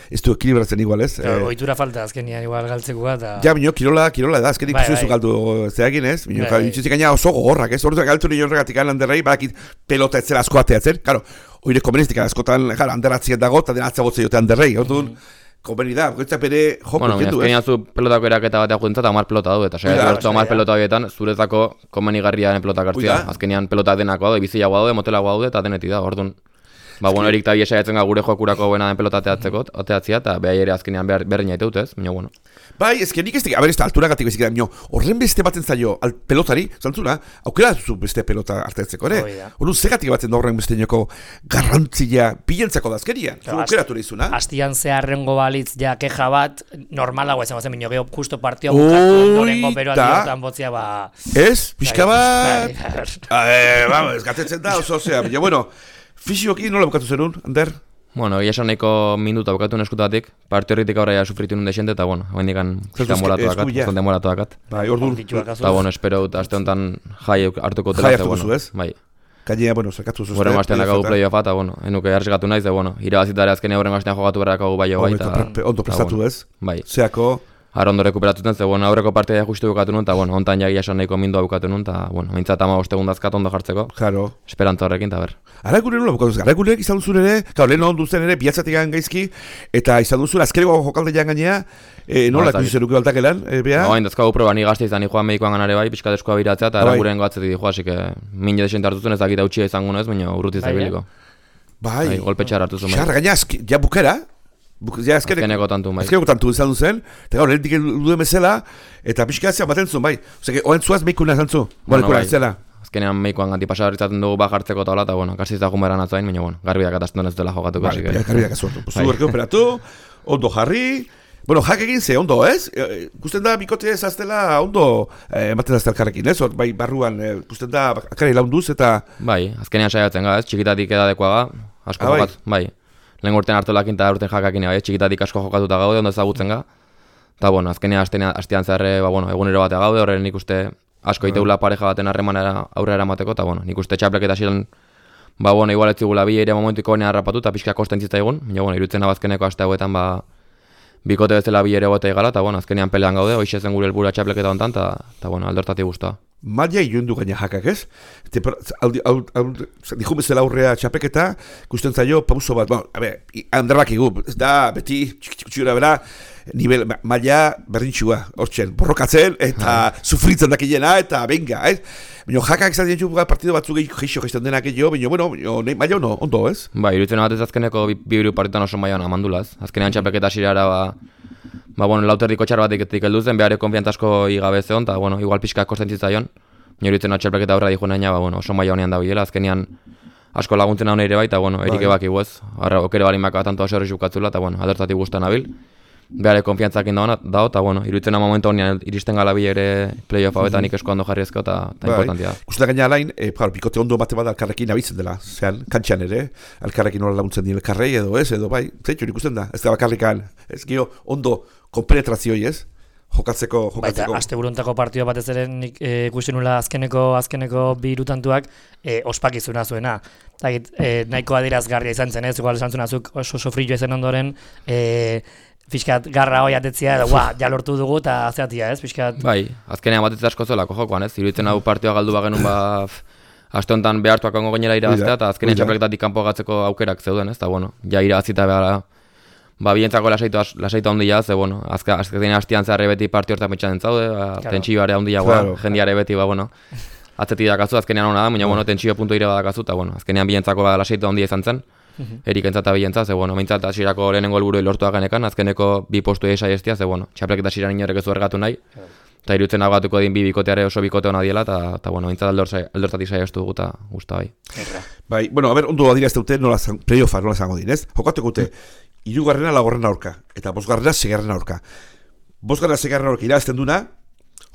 ez du ekilibratzen igual ez. Ja, e, oitura falta azkenian igual galtzekoa eta... Ja, baina kirola, kirola da, azkenik bai, zuzu bai. Galdu zeagin ez, baina bai, intzuntzik gaina oso gorrak ez, horretu galtu nion horregatik anterrei, badakit pelota etzera asko ateatzen, karo, oire komenistika askotan, jara, anderatzien dago, eta dena atzagotzea jote anterrei, orduan, konbeni da, goitza pere joko bueno, kendu, ez? Bueno, zu pelotako eraketa batean juntza eta hamar pelota du, eta saiatu bertu hamar pelota horietan, zuretzako komenigarriaren pelotak hartzia. Azkenean pelota denako daude, bizilagoa daude, motelagoa daude, eta denetik da, orduan. Ba, bueno, erik tabi esaiatzen gure jokurako buena den pelota ateatzeko, ateatzia, eta behar ere azkenean behar berreina ite dut, ez? Baina, bueno. Bai, ez que nik ez da, a ber, ez da, alturagatik bezik da, horren beste baten zailo, pelotari, zantzuna, aukera zu beste pelota hartatzeko, ere? Horren zegatik batzen da horren beste nioko garrantzia bilentzako da azkerian, zu aukeratu nizuna? Astian zeharrengo balitz ja keja bat, normalago esan bazen, minio geho justo partioa bukatu, ondorengo beroa diotan botzia, ba... Ez, pixka bat... Vamos, gatetzen da, oso, osea, baina, bueno... Fizioki nola bukatu zerun, Ander? Bueno, egia esan nahiko minuta bukatu neskutatik, parte horretik aurra ja sufritu nun desente, eta bueno, hain dikan demoratu dakat, zon demoratu dakat. Bai, orduan. Eta bueno, espero dut, aste honetan jai hartuko tela. Jai hartuko zu, ez? Bai. Gainea, bueno, zerkatu zuzte. Horren bastean dakagu playoff eta bueno, enuke hartzikatu naiz, eta bueno, irabazitare azkenea horren bastean jogatu berrakagu bai jo bai, eta... Ondo prestatu ez? Bai. Zeako... Ara ondo rekuperatuten, ze bueno, aurreko partia justu bukatu nun, eta bueno, ontan jagia esan nahiko mindua bukatu nun, eta bueno, mintzat ama ostegundazkat ondo jartzeko. Claro. Esperantza horrekin, eta ber. Aragune nola bukatu zen, Aragunek izan duzun ere, kau, lehen ondu zen ere, bihatzatik gaizki, eta izan duzun azkereko jokaldean gainea, e, nola ikusi zenuke baltakelan, e, beha? No, hain dazkagu proba, ni gazte izan, ni joan medikoan ganare bai, pixka deskoa biratzea, eta Araguren goatzetik dihoa, así que min jedexente hartuzun ez dakit hautsia izango nez, baina urruti zaibiliko. Bai, golpe txar hartuzun bai. Txar, gaina, ja bukera, ja azkeneko tantu bai. Azkeneko tantu izan duzen, eta gaur, lehentik duen bezala, eta pixka atzea baten zuen, bai. Ose, oen zuaz meikuna izan zu, molekula ezela. Azkenean meikoan ganti pasabarritzaten dugu ba jartzeko eta hola, eta bueno, kasi ez da jumeran atzain, baina bueno, garbiak atazten ez dela jokatuko. Vale, garbiak azuertu. Zu berke operatu, ondo jarri, bueno, jak egin ze, ondo, ez? E, gusten da, bikote ez aztela, ondo, eh, ematen azte alkarrekin, ez? Or, bai, barruan, eh, gusten da, akari launduz eta... Bai, azkenean saiatzen ga, ez? Txikitatik edadekoaga, asko ah, jokat, bai. Lehen urtean hartolakin eta urten jakakin, bai, txikitatik asko jokatuta gaude, ondo ezagutzen ga. Eta, bueno, azkenean astean zerre, ba, bueno, egunero batea gaude, horren nik uste asko iteula pareja baten harremanera aurrera eramateko, eta, bueno, nik uste txapleketa ziren, ba, bueno, igual ez zigula bi ere momentuko honean harrapatu, eta pixka kosten zitzaigun, baina, bueno, irutzen abazkeneko aste hauetan, ba, bikote bezala bi ere bote igala, eta, bueno, azkenean pelean gaude, hoxe zen gure helburua txapleketa hontan, eta, eta, bueno, aldortatik guztua. Malia ilundu gaina jakak, ez? Dihun bezala aurrea txapeketa, gusten zaio pauso bat, bueno, a ber, handarrak igu, ez da, beti, txikutxura bera, nivel, maila berdintxua, hortzen, borrokatzen, eta sufritzen dakilena, eta benga, ez? Baina jakak izan dientxu partido batzuk geixo geizten denak egio, baina, bueno, maila ono, ondo, ez? Ba, iruditzen batez azkeneko bi biru partitan oso maila amandulaz. Azkenean txapeketa zirara, ba, ba, bueno, lauterdiko txar batik heldu zen, behar konfiantzazko igabe zeon, eta, bueno, igual pixka kosten zitzaion. Iruditzen txapelketa aurra dijo naina, ba, bueno, oso maila honean da bilela, azkenean asko laguntzen hau nire bai, eta, bueno, erik ebak iguez, harra okere barin baka tanto aserri xukatzula, eta, bueno, adertatik guztan abil. Behar konfiantzakin dago, eta, bueno, iruditzen momentu honean iristen gala bi ere play-off hau eta nik esko ondo jarri ezko, eta importantia da. Guztan gaina alain, e, bikote ondo bate bat alkarrekin abitzen dela, zean, kantxan ere, alkarrekin nola laguntzen dira elkarrei edo ez, edo bai, zeitxo ikusten da, ez da bakarrikan, ez gio ondo konpenetrazioi ez, jokatzeko, jokatzeko. Baita, aste buruntako partioa batez ere nik e, ikusten nula azkeneko, azkeneko bi irutantuak e, ospakizuna zuena. Zagit, e, nahiko adierazgarria izan zen ez, igual esan zunazuk oso sofrillo ezen ondoren, e, fiskat garra hoi atetzia, edo, ja lortu dugu eta azeatia ez, fiskat... Bai, azkenean batetze asko zelako jokoan ez, iruditzen hau partioa galdu bagenun ba... Aste honetan behartuak ongo gainera irabaztea, eta azkenean txapelketatik kanpo gatzeko aukerak zeuden ez, eta bueno, ja irabazita behar ba, bientzako lasaitu handia, ze, bueno, azkenean hastian zerre beti partio hortan metxan entzaude, ba, claro. Tentsioare handia, claro, jendiare beti, ba, bueno, atzetik dakazu, azkenean hona da, baina, bueno, tentsio puntu ire badakazu, eta, bueno, azkenean bientzako ba, lasaitu handia izan zen, erik entzata bientza, ze, bueno, mintzat asirako lehenengo helburu lortu genekan, azkeneko bi postu esai estia, ze, bueno, txapelketa asiran inorek ez du ergatu nahi, eta irutzen agatuko din bi bikoteare oso bikote hona diela, eta, bueno, mintzat aldortatik saiestu dugu, eta guzta bai. Bai, bueno, a ber, ondo adira ez dute, nola playoffa, nola zango din, ez? Jokatuko dute, hirugarrena lagorrena aurka, eta bosgarrena segarrena aurka. Bosgarrena segarrena aurka irabazten duna,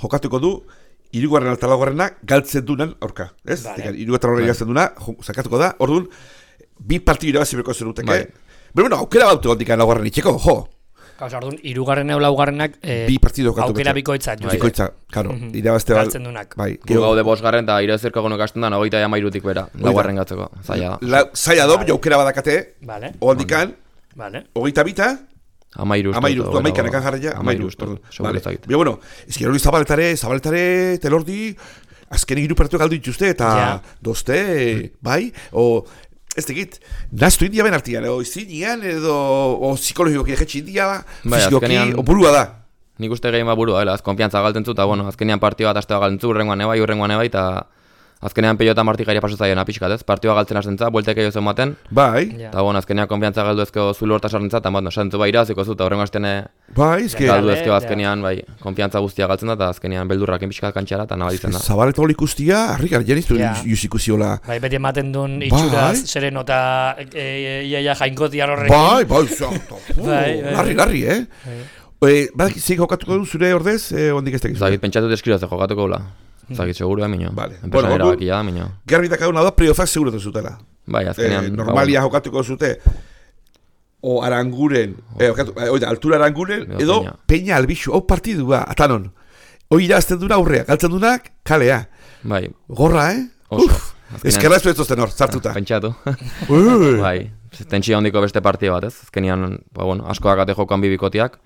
jokatuko du, hirugarrena eta lagorrena galtzen dunan aurka, ez? Vale. Hirugarrena aurka irabazten duna, zakatuko da, orduan, bi partidu irabazi berko zen duteke. Bai. Pero bueno, aukera baute gondikan lagorren itxeko, jo! Gauza, orduan, irugarren eula ugarrenak eh, bi partidu aukera bikoitza. Bikoitza, karo, mm -hmm. irabazte bal... Galtzen dunak. Bai. Gu gaude bosgarren eta irabazerko egonok hasten da, nogeita jama irutik bera, laugarren gatzeko, zaila da. La, zaila do, vale. Aukera badakate, vale. Oaldikan, vale. Hogeita bita, Amairu ustu. Amairu ustu, amaikan ekan jarraia, amairu ustu. Vale. Bio, bueno, ez hori zabaletare, zabaletare, telordi, azken egiru partidu galdu dituzte, eta ja. Dozte, bai, o... Ez tegit, naztu india ben artian, o izinian, edo, o psikologikoki egetxe india, bai, fizikoki, o burua da. Nik uste gehien ba burua, ez, konfiantza galten zu, eta bueno, azkenean partioa eta astea galten zu, urrengoan ebai, urrengoan ebai, eta azkenean peio eta martikaria pasatzaiona pixkat, ez, partioa galtzen hasten za, bueltek egin zen bai, eta bueno, azkenean konfiantza galdu ezko zulu horta sartzen za, eta bueno, sartzen bai iraziko zu, eta urrengo hasten bai, ezke galdu ezko azkenean, bai, konfiantza guztia galtzen da, eta azkenean beldurrakin pixkat kantxara, eta nabaditzen da. Zabaleta hori ikustia, harrikar jeniztu iusikuziola. Bai, beti ematen duen itxuraz, sereno eta iaia jainkotiar horrekin. Bai, bai, larri, larri, eh? Badak, zeik jokatuko du zure ordez, ondik ez tekizu? Zagit, pentsatu deskribaze jokatuko gula. Zagit, seguru, eh, minio. Vale. Enpresa bueno, erabakia da, minio. Garbi dakaguna da, playoffak seguro da zutela. Bai, azkenean. Eh, normalia jokatuko zute, o aranguren, eh, oida, altura aranguren, no, edo peña, peña albixu, hau partidua, atanon. Hoi irazten duna aurrea, galtzen dunak, kalea. Bai. Gorra, eh? Uf, eskerra ez duetozten hor, zartuta. Pentsatu. Bai, tentsio handiko beste partida bat, ez? Azkenean, ba, bueno, asko dakate jokoan bibikotiak.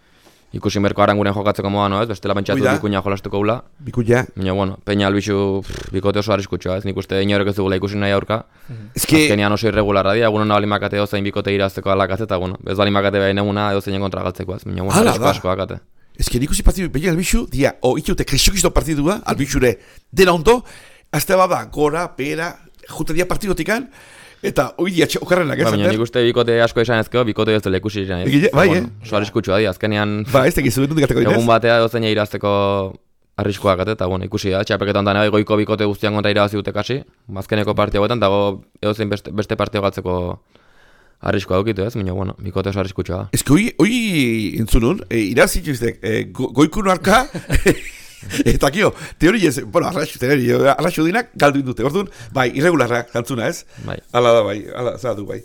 Ikusi merko aranguren jokatzeko moda, no, ez? Bestela pentsatu bikuña jolastuko gula. Bikuña. Baina, bueno, peña albixu bikote oso arriskutxoa, ez? Nik uste inorek ez dugula ikusi nahi aurka. Eske... Azkenean oso irregularra dira, egun hona balimakate ozain bikote irazteko alakatze, eta, bueno, ez balimakate behain eguna edo zeinen kontra galtzeko, ez? Baina, bueno, arrisko asko akate. Eske nik usi partidu, peña albixu, dia, o itxute krexokizto partidua, albixure, dena ondo, azte bada, gora, pera, jute dia partidotikan, eta hoi dia okarrenak ez. Baina nik uste bikote asko esan ezkeo, bikote ez dela ikusi izan ez. Bai, eh? Oso arriskutsua di, azkenean... Ba, ez tekizu, dut gateko inez. Egun batea dozeina irazteko arriskoak eta, bueno, ikusi da, txapeketan da goiko bikote guztian kontra irabazi dute kasi, azkeneko partio guetan, dago edozein beste, beste partio galtzeko arriskoa dukitu ez, baina, bueno, bikote oso arriskutsua da. Ez que hoi, hoi entzunun, e, irazituztek, e, go, goikun arka, eta kio, teori ez, bueno, arraxu, teori, arraxu dinak galdu indute, orduan, bai, irregularra kantzuna ez, Bai. Ala da bai, ala zatu bai.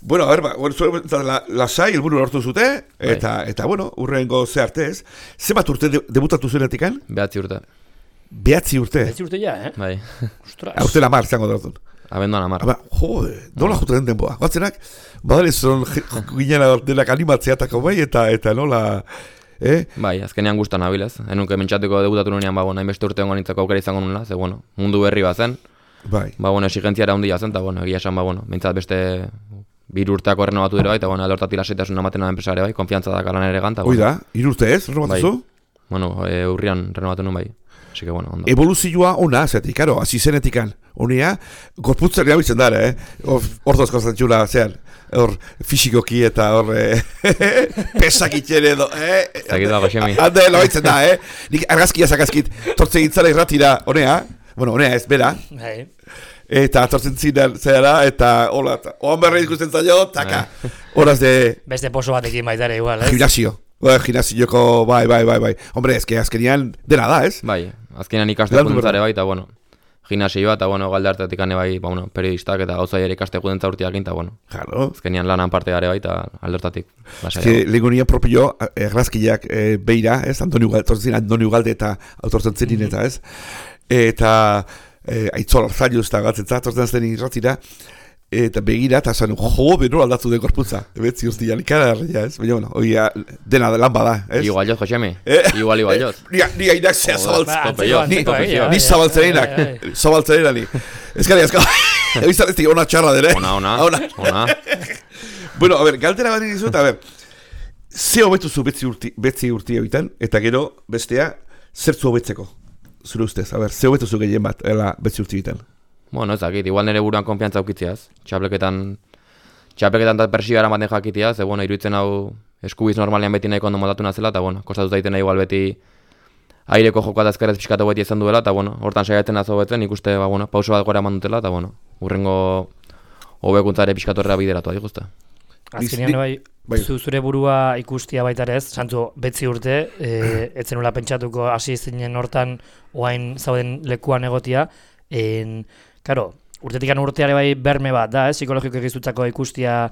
Bueno, a ver, ba, bueno, zure, la, lasai, helburu lortu zute, eta, bai. eta bueno, urrengo ze arte ez, zenbat urte de, debutatu zuenetikan? Behatzi urte. Behatzi urte? Behatzi urte ja, eh? Bai. Ostras. Urte lamar, zango da orduan. Abenduan amar. Aba, jode, nola jute den denboa. Batzenak, badare zon ginen denak animatzeatako bai, eta eta nola... Eh? Bai, azkenean gustan nabilez. Enunke mentxateko debutatu nunean, ba, bueno, hainbeste urte hongo nintzako aukera izango nula, ze, bueno, mundu berri bat zen. Bai. Ba, bueno, exigenziara handia zen, eta, bueno, egia esan, ba, bueno, mintzat beste biru urteako errenobatu dira bai, eta, bueno, alortatik lasaitasun ematen da enpresare bai, konfiantza da kalan ere ganta. Hoi da, hiru urte ez, renovatu zu? Bueno, e, urrian renovatu nun bai. Así que, bueno, ondo. Evoluzioa ona, zetik, karo, hasi zenetikan. Honea, gorputzak erabiltzen dara, eh? Hor dozko zantzula, zean, hor fisikoki eta hor pesak itxere edo, eh? Zagit dago, Xemi. Hande, loaitzen da, eh? Nik argazkia zakazkit, tortze gintzara irratira, honea, bueno, honea ez, bera. Bai. Eta tortzen zinen, zera, eta hola, oan berri ikusten zailo, taka. Horaz de... Beste poso batekin baitare igual, ez? Gimnasio. Ba, gimnasioko, bai, bai, bai, bai. Hombre, ez que azkenian dena da, ez? Bai, azkenean ikastekuntza ere bai, eta, bueno, gimnasioa, eta, bueno, galde hartatik ane bai, ba, bueno, periodistak eta gauza ere ikastekuntza urtiak eta, bueno, claro. Azkenean lanan parte gare bai, eta aldertatik. Ez que legonia propio, errazkiak e, beira, ez? Antoni Ugalde, Antoni Ugalde eta autortzen zenin eta, ez? Eta e, aitzol arzaiuz eta gatzen zatortzen zenin irratira, eta begira, eta zan, jo, beno aldatu den gorputza. Ebetzi ustian, ikararria, ez? Baina, bueno, oia, dena lan bada, ez? Igual joz, Josemi. Eh? Igual, igual joz. Ni, ni ainak zea zabaltzen. Ni, ni eh, zabaltzerenak. Zabaltzerenak ni. Ezkari, ezkari. Ebizan ez di, ona txarra dere. Ona, ona. Ona. Ona. Bueno, a ver, galtera bat dizut, a ver. Ze hobetu zu betzi urti, betzi urti egitan, eta gero, bestea, zertzu hobetzeko. Zure ustez, a ver, ze hobetu zu gehien bat, ela betzi urti egitan. Bueno, ez dakit, igual nire buruan konfiantza aukitziaz. Txapleketan, txapleketan eta persioa eramaten jakitia, ze, bueno, iruditzen hau eskubiz normalean beti nahiko ondo moldatu nazela, eta, bueno, kostatu zaiten igual beti aireko jokoa da ezkerrez pixkatu beti izan duela, eta, bueno, hortan saiatzen azo betzen, ikuste, ba, bueno, pauso bat gora eman dutela, eta, bueno, urrengo hobekuntzare pixkatu erra bideratu adik uste. Azkenean bai, bai, zu zure burua ikustia baitarez, santzu betzi urte, e, etzenula pentsatuko hasi zinen hortan oain zauden lekuan egotia, en... Karo, urtetikan urteare bai berme bat da, eh? Psikologiko egizutzako ikustia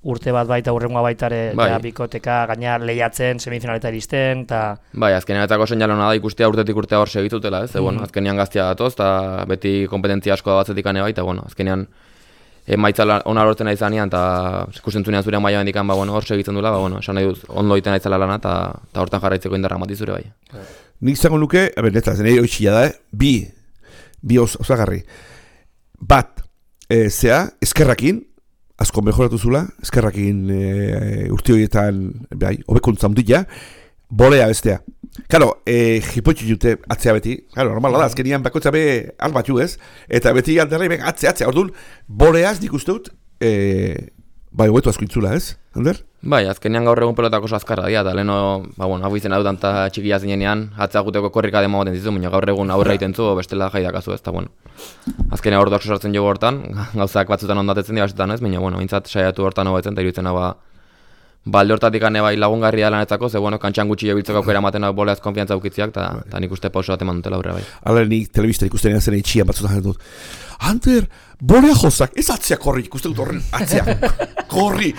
urte bat baita urrengoa baitare bai. Ja, bikoteka, gaina lehiatzen, semifinaleta iristen, eta... Bai, azkenean etako seinalona da ikustia urtetik urtea hor segitutela, ez? Mm. Bueno, azkenean gaztia datoz, eta beti kompetentzia asko da batzetik ane bai, eta bueno, azkenean emaitza ona lortzen nahi zanean, eta ikusten zurean maia bendikan, ba, bueno, hor segitzen dula, ba, bueno, esan nahi dut, ondo iten nahi zela lana, eta hortan jarraitzeko indarra mati zure bai. Nik zango nuke, a ber, netzaz, nahi oitxia da, eh? bi, bi os, osagarri. Bat, e, zea, eskerrakin, asko mejoratu zula, eskerrakin e, urte horietan, bai, hobekuntza handia, bolea bestea. Claro, e, jipotxu jute atzea beti, claro, normala da, azkenian bakotza be albatu ez, eta beti alderrei ben atzea, atzea, orduan, boleaz nik uste dut, e, bai, hobetu asko intzula ez, Ander? Bai, azkenean gaur egun pelotako oso azkarra dira, eta leheno, ba, bueno, hau izena dutan eta txikia zinenean, atzea guteko korrika demo baten zizu, baina gaur egun aurre egiten zu, bestela jaidakazu ez, eta bueno. Azkenean hor asko sartzen jogu hortan, gauzak batzutan ondatetzen dira basetan ez, baina bueno, mintzat saiatu hortan hobetzen, eta iruditzen hau ba, balde hortatik ane bai lagungarria lanetzako, ze bueno, kantxan gutxi jebiltzeko aukera ematen hau boleaz konfiantza aukitziak, eta nik uste pauso bat eman dutela aurre bai. Hala nik telebista ikusten zen itxian batzutan dut. Ander, bolea jozak, ez atzea korri, ikusten dut horren atzea, korri,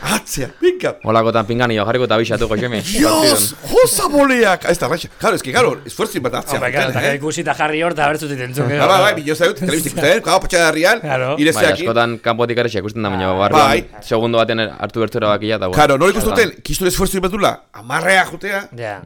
atzea, binka. Holakotan pingani jo jarriko eta bixatu Josemi. Dios, joza boleak, ez da raixa. Claro, es que claro, esfuerzin bat atzea. Hombre, claro, eta ikusi eta jarri hor, eta bertzut itentzuk. Bai, bai, bilo zaut, telebista ikusten, gau patxadarrian, irezeakin. Bai, askotan kanpotik ere ikusten da, baina barruan, segundo baten hartu bertzura bakia, eta bueno. Claro, nola ikustuten, kistun esfuerzin batula, amarrea jutea. Ja.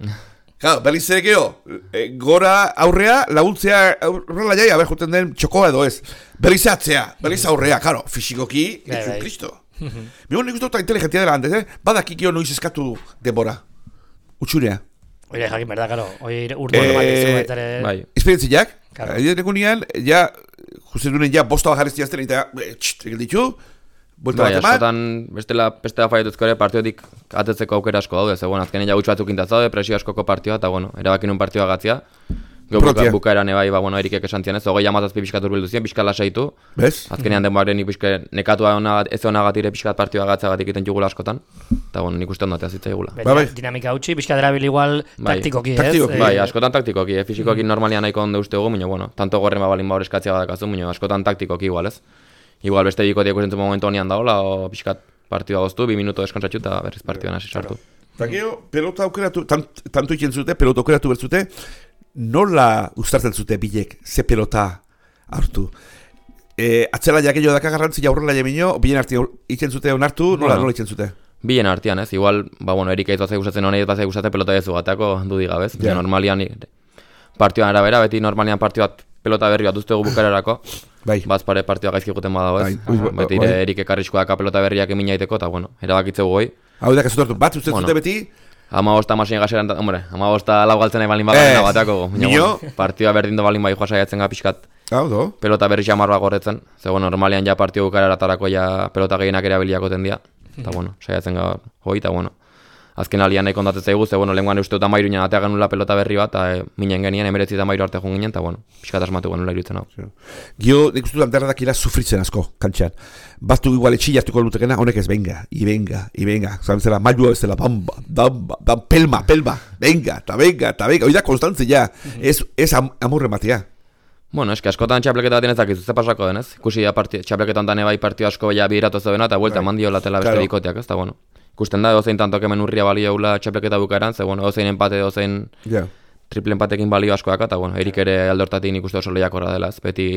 Claro, berriz ere geho, e, gora aurrea, laguntzea aurrela jai, haber juten den txokoa edo ez. Berriz atzea, berriz aurrea, claro, fisikoki, ez un kristo. Mion nik uste dut inteligentia dela antes, eh? Badakikio noiz eskatu denbora. Utxunea. Oire, jakin, berda, karo, oire urte hori bat ez baitare... Bai. Esperientziak, edo nekunian, ja, justen duen ja, bosta bajarez diazten, eta, txt, egin ditu, bai, askotan bestela bestela faiatuzko ere partiotik atetzeko aukera asko daude, ze bueno, azkenean ja gutxi batzuk intaz daude, presio askoko partioa, eta bueno, erabakin un partioa gatzia. Gero buka, bukaeran ebai, ba, bueno, Erikek esan zian ez, hogei amazazpi pixkat urbildu ziren, pixkat lasaitu. Bez? Azkenean denbaren nik pixkat nekatua ona, ez onagatire pixkat partioa gatzagatik egiten jugula askotan. Eta bueno, nik uste ondatea zitza egula. Ba, bai. Dinamika utzi, pixkat erabil igual bai. taktikoki, Taktikoki. ez? Bai, askotan taktikoki, eh? Fisikoki mm. normalian nahiko ondo uste dugu, baina bueno, tanto gorren babalin ba hor eskatzea badakazu, baina askotan taktikoki igual, ez? Igual beste bikotiak usentzen momentu honian daola, o pixkat partioa goztu, bi minuto deskontsatxu eta berriz partioan hasi sartu. Eta gero, pelota aukeratu, tant, tanto iken zute, pelota aukeratu bertzute, nola ustartzen zute bilek, ze pelota hartu? E, atzela jakello daka garrantzia aurrela jamino, bilen arti iken zute onartu, nola, bueno, nola iken zute? Bien artean, ez? Igual, ba, bueno, Erika izbazai gustatzen honei, izbazai gustatzen pelota dezu batako dudi gabez. Yeah. Normalian, partioan arabera, beti normalian partioat pelota berri bat duztegu bukarerako. Bai. Bazpare partioa gaizki guten badago, ez? Bai. Beti bai. Erik ekarrizko daka pelota berriak emina iteko, eta bueno, erabakitzeu goi. Hau da, kasutartu, bat uste bueno, zute beti? Ama bosta masien gazeran, hombre, ama bosta lau galtzen nahi balin bagarena eh, bateako. Nio? Bueno, partioa berdin do balin bai joa saiatzen ga pixkat. Hau do? Pelota berri xamarroa gorretzen. Ze, bueno, normalian ja partio bukarera tarako ja pelota gehienak erabiliako tendia. Eta, bueno, saiatzen ga hoi, eta, bueno. Azken alian nahi kontatzen zaigu, ze, bueno, lenguan uste eta mairu nien atea genula pelota berri bat, eta e, minen genien, emeretzi eta mairu arte joan ginen, eta, bueno, pixkat asmatu genula iruditzen hau. Gio, nik uste lanterra dakila sufritzen asko, kantxan. Batu igual etxi jartuko lutekena, honek ez, venga, i venga, i venga. Zabentzela, mailua bezala, bamba, damba, damba, pelma, pelma, venga, eta venga, eta venga. Oida konstantzia, ez, ez am, amurre matia. Bueno, eski askotan txapleketa bat enezakizu, ze pasako denez. Ikusi txapleketan dane bai partio asko baina bihiratu zeudena, eta buelta mandio latela beste claro. Bikoteak, ez da, bueno. Ikusten da, dozein tantok hemen urria balio eula txapleketa bukaeran, ze, bueno, dozein empate, dozein yeah. triple empatekin balio askoak, eta, bueno, Erik ere aldortatik nik uste oso lehiakorra dela, ez, beti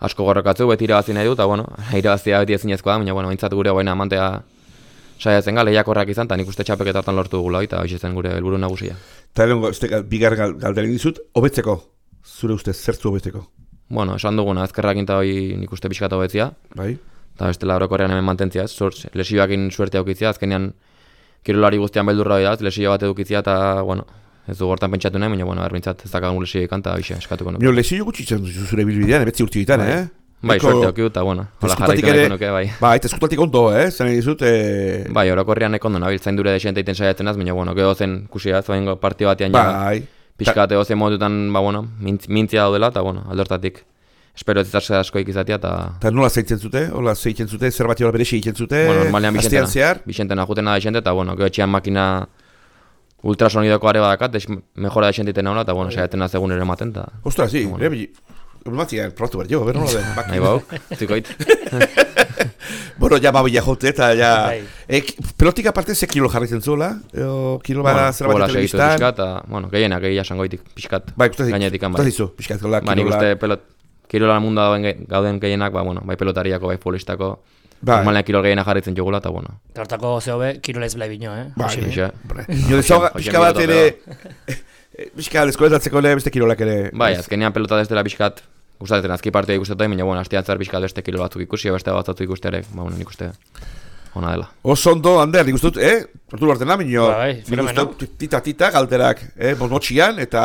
asko gorrokatzu, beti irabazi nahi du, eta, bueno, irabazia beti ezinezkoa da, baina, bueno, bintzat gure baina amantea saiatzen ga, lehiakorrak izan, eta nik uste txapleketan lortu dugula, eta hoxe zen gure helburu nagusia. Eta erengo, bigar galderen dizut, hobetzeko, zure ustez, zertzu hobetzeko? Bueno, esan duguna, ezkerrak inta hoi nik uste pixkat hobetzia. Bai. Eta bestela orokorrean hemen mantentzia, ez, lesioakin suerte aukitzia, azkenean kirolari guztian beldurra hori da, lesio bat edukitzia, eta, bueno, ez du gortan pentsatu nahi, baina, bueno, erbintzat ez dakagun lesio ikan, eta bixe, eskatuko nuke. Mio, lesio gutxitzen zure bilbidean, ebetzi urti ditan, eh? Bai, Eko... suerte aukiu, eta, bueno, hola jarraitu nahiko nuke, bai. Bai, eta eskutatik ondo, eh? Zene dizut, eh... Bai, orokorrean eko ondo, nabil, zain dure desente iten saiatzen az, baina, bueno, geho zen kusia, zoaingo partio batean bai. Pixkate ozen modutan, ba, bueno, mintzia daudela, eta, bueno, aldortatik. Espero ez izarse askoik izatea, eta... Eta nola zeitzen zute? Ola zeitzen zute? Zer bat jola berexi egiten zute? Bueno, normalean bixentena. Bixentena jutena da bixente, eta, bueno, geho etxean makina ultrasonidoko are badakat, mejora da bixentiten nauna, eta, bueno, saiaten azegun ere ematen, eta... Ostras, sí, bueno. Matzia, probatu behar jo, berro nola den. Nahi bau, zikoit. Bueno, ja babila jote, eta ja... Eh, pelotik aparte ze kilo jarraitzen zuela? O kilo bada bueno, zer bat telebistan? Pixkat, eta, bueno, gehienak egia sangoitik, pixkat. Bai, gainetik han, bai. Ikustazizu, pixkat, gola, ba, nik uste pelot, kirola munda gauden gehienak, ba, bueno, bai pelotariako, bai futbolistako. Bai. Normalean kirol gehienak jarraitzen jogula, eta, bueno. Hortako zehobe, kirolez blai bino, eh? Bai, jo dezaga, pixka bat ere... Pixka, deskoetatzeko ere beste kirolak ere... Bai, azkenean pelota destela pixkat, gustatzen azki partioa ikustetai, baina, bueno, hastian zer pixkat beste kirol batzuk ikusi, beste batzuk ikustearek, ba, bueno, nik uste ona dela. Oso ondo, Ander, nik uste dut, eh? Hortu duartzen da, minio, bai, nik uste dut, tita-tita galterak, eh? Bosmotxian, eta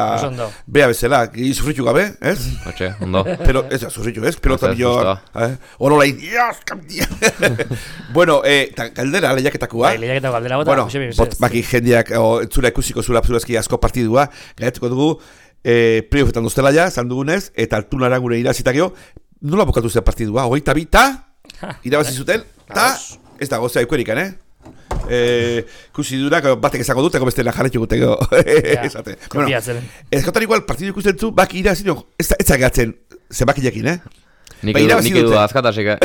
bea bezala, sufritu gabe, ez? Hortxe, ondo. Pero, ez da, sufritu, ez? Pelota minio, eh? Orola indiaz, kamtia. Bueno, eh, galdera, lehiaketakua. Bai, lehiaketako galdera bota. Bueno, bot, baki jendeak, entzula ikusiko zula, zurazki asko partidua, gaiatuko dugu, eh, playoffetan doztela ja, zan dugunez, eta altunara gure irazitakio, nola bokatu zen partidua, hogeita bi, ta, irabazi zuten, ta, ez da, gozea ikuerikan, eh? Eh, kusi durak, batek ezako dut, eko bestela jarretu guteko. Esate. Bueno, ezkotan igual, partidu ikusten zu, baki irabazi, ez da gatzen, zenbaki jakin, eh? Nik edu da azkatasik, eh?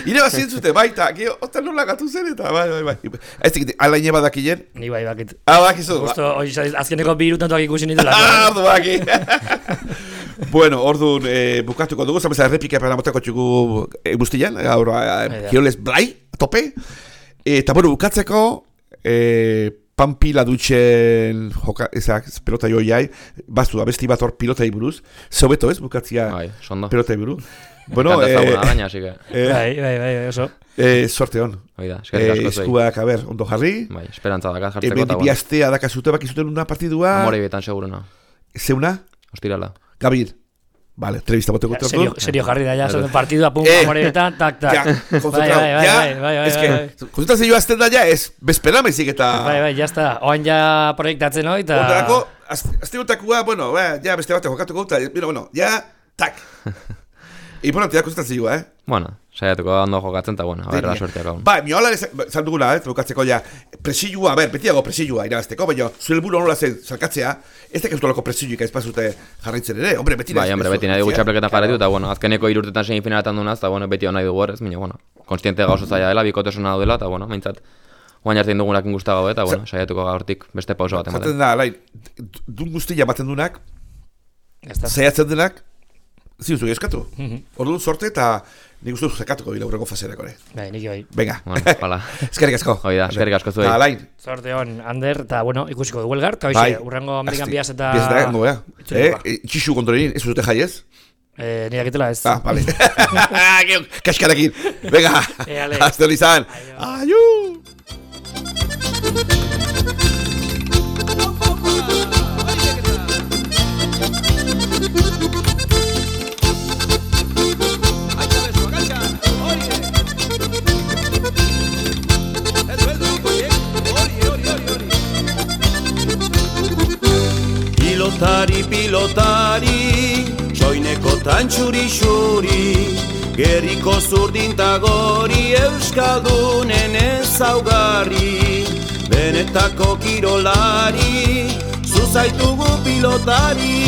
Irabazi entzute, baita, gio, otan nola gatu zen, eta bai, bai, bai. Ez dikit, alaine badakien? Ni bai, bakit. Ah, bakizu. Justo, azkeneko bi irutantuak ikusi nitela. Ah, ordu baki. Bueno, orduan eh, bukatuko dugu, zameza errepika para motako txugu eh, guztian, gaur eh, kiroles blai, tope. Eta bueno, bukatzeko, eh, Pampila dutxen joka, ezak, pelota joiai, baztu abesti bat hor pilota iburuz, zobeto ez, bukatzia bai, pelota iburu. Bueno, eh, gaina, que... eh, bai, bai, bai, oso. Eh, sorte hon. Oida, eh, eskuak, a ber, ondo jarri. Bai, esperantza dakat jartzeko. Eben dibi astea dakazute bakizuten una partidua. Amore betan seguruna. Zeuna? Ostirala. Gabil. Vale, entrevista bote gutxo. Serio, serio jarri da, ja, son partidua, pum, eh, amore betan, tak, tak. Ja, konzentrau, bai, bai, ja. Bai, bai, bai, es que, bai. konzentratzen joa azten da, ja, ez, bezpera mezik eta... Bai, bai, ya está. Oan ja proiektatzen hoi, eta... Ondarako, azte gotakua, bueno, ba, ja beste bat jokatuko eta, bueno, ja, tak. Importantea kostatzen zigua, eh? Bueno, saiatuko ondo jokatzen, eta bueno, a ver, la suerteak hau. Ba, mi hola zan dugula, eh, bukatzeko ja, presilua, a ber, betiago presilua irabazteko, baina zure helburu nola zen salkatzea, ez da keuztolako presiluik aizpazute jarraitzen ere, hombre, beti Bai, hombre, beti nahi dugu txapelketan jarraitu, eta bueno, azkeneko irurtetan semifinaletan dunaz, eta bueno, beti hona dugu horrez, baina bueno, konstiente gauzo zaila dela, bikotesuna daudela, eta bueno, maintzat, guain hartzen dugunak ingusta gau, eta bueno, saiatuko gaurtik beste pauso bat ematen. Zaten da, lain, dun guztia baten dunak, zaiatzen denak, ziuzu eskatu. Orduan sorte eta nik uste zekatuko bila urreko faserako ere. Bai, nik bai. Venga. Bueno, hala. Eskerrik asko. Hoi da, eskerrik asko zuei. Eta alain. Sorte hon, Ander, eta bueno, ikusiko dugu elgar, eta hoxe, urrengo Amerikan biaz eta... Biaz da, no, eh? Txixu kontrolin, ez dute jai ez? Eh, nire agitela ez. Ah, vale. Kaskarakin. Venga, hasta izan. Aio. Pilotari, pilotari, soineko tantxuri xuri, gerriko zurdintagori euskaldunen ezaugarri, benetako kirolari, zuzaitugu pilotari.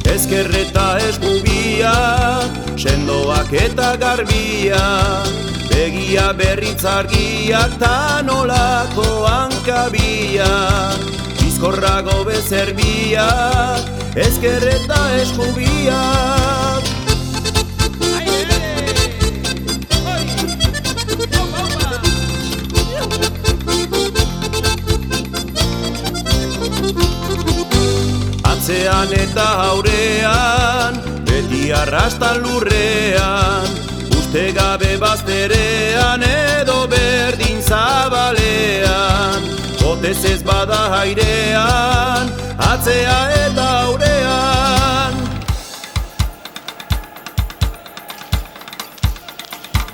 Ezkerreta eskubia, sendoak eta garbia, begia berritzargiak ta nolako hankabia, bizkorrago bezerbia, ezkerreta eskubia. Atzean eta aurean, beti arrastan lurrean, uste gabe bazterean edo berdin zabalean, botez ez bada airean, atzea eta aurean.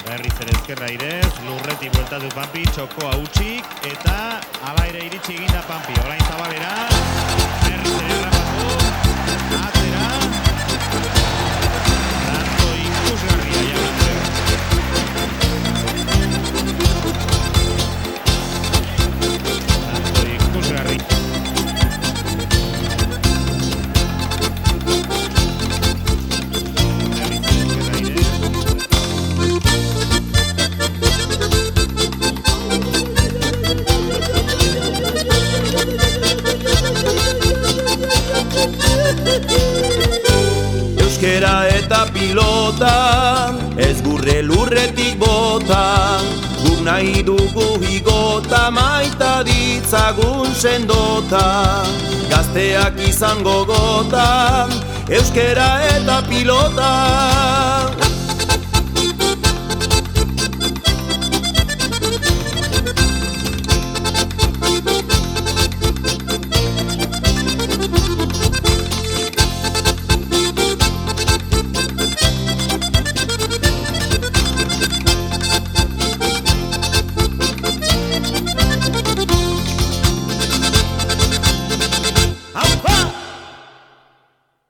Berriz ere ezkerra irez, lurreti bueltatu Pampi, txokoa utxik, eta ala ere iritsi eginda Pampi, orain zabalera, berriz ere rapatu, atzera, tanto ikusgarria jaunatze. Tanto ikusgarri. Berriz ezkerra irez. Euskera eta pilota, ez gurre lurretik bota, guk nahi dugu higota, maita ditzagun sendota, gazteak izango gota, euskera eta pilota.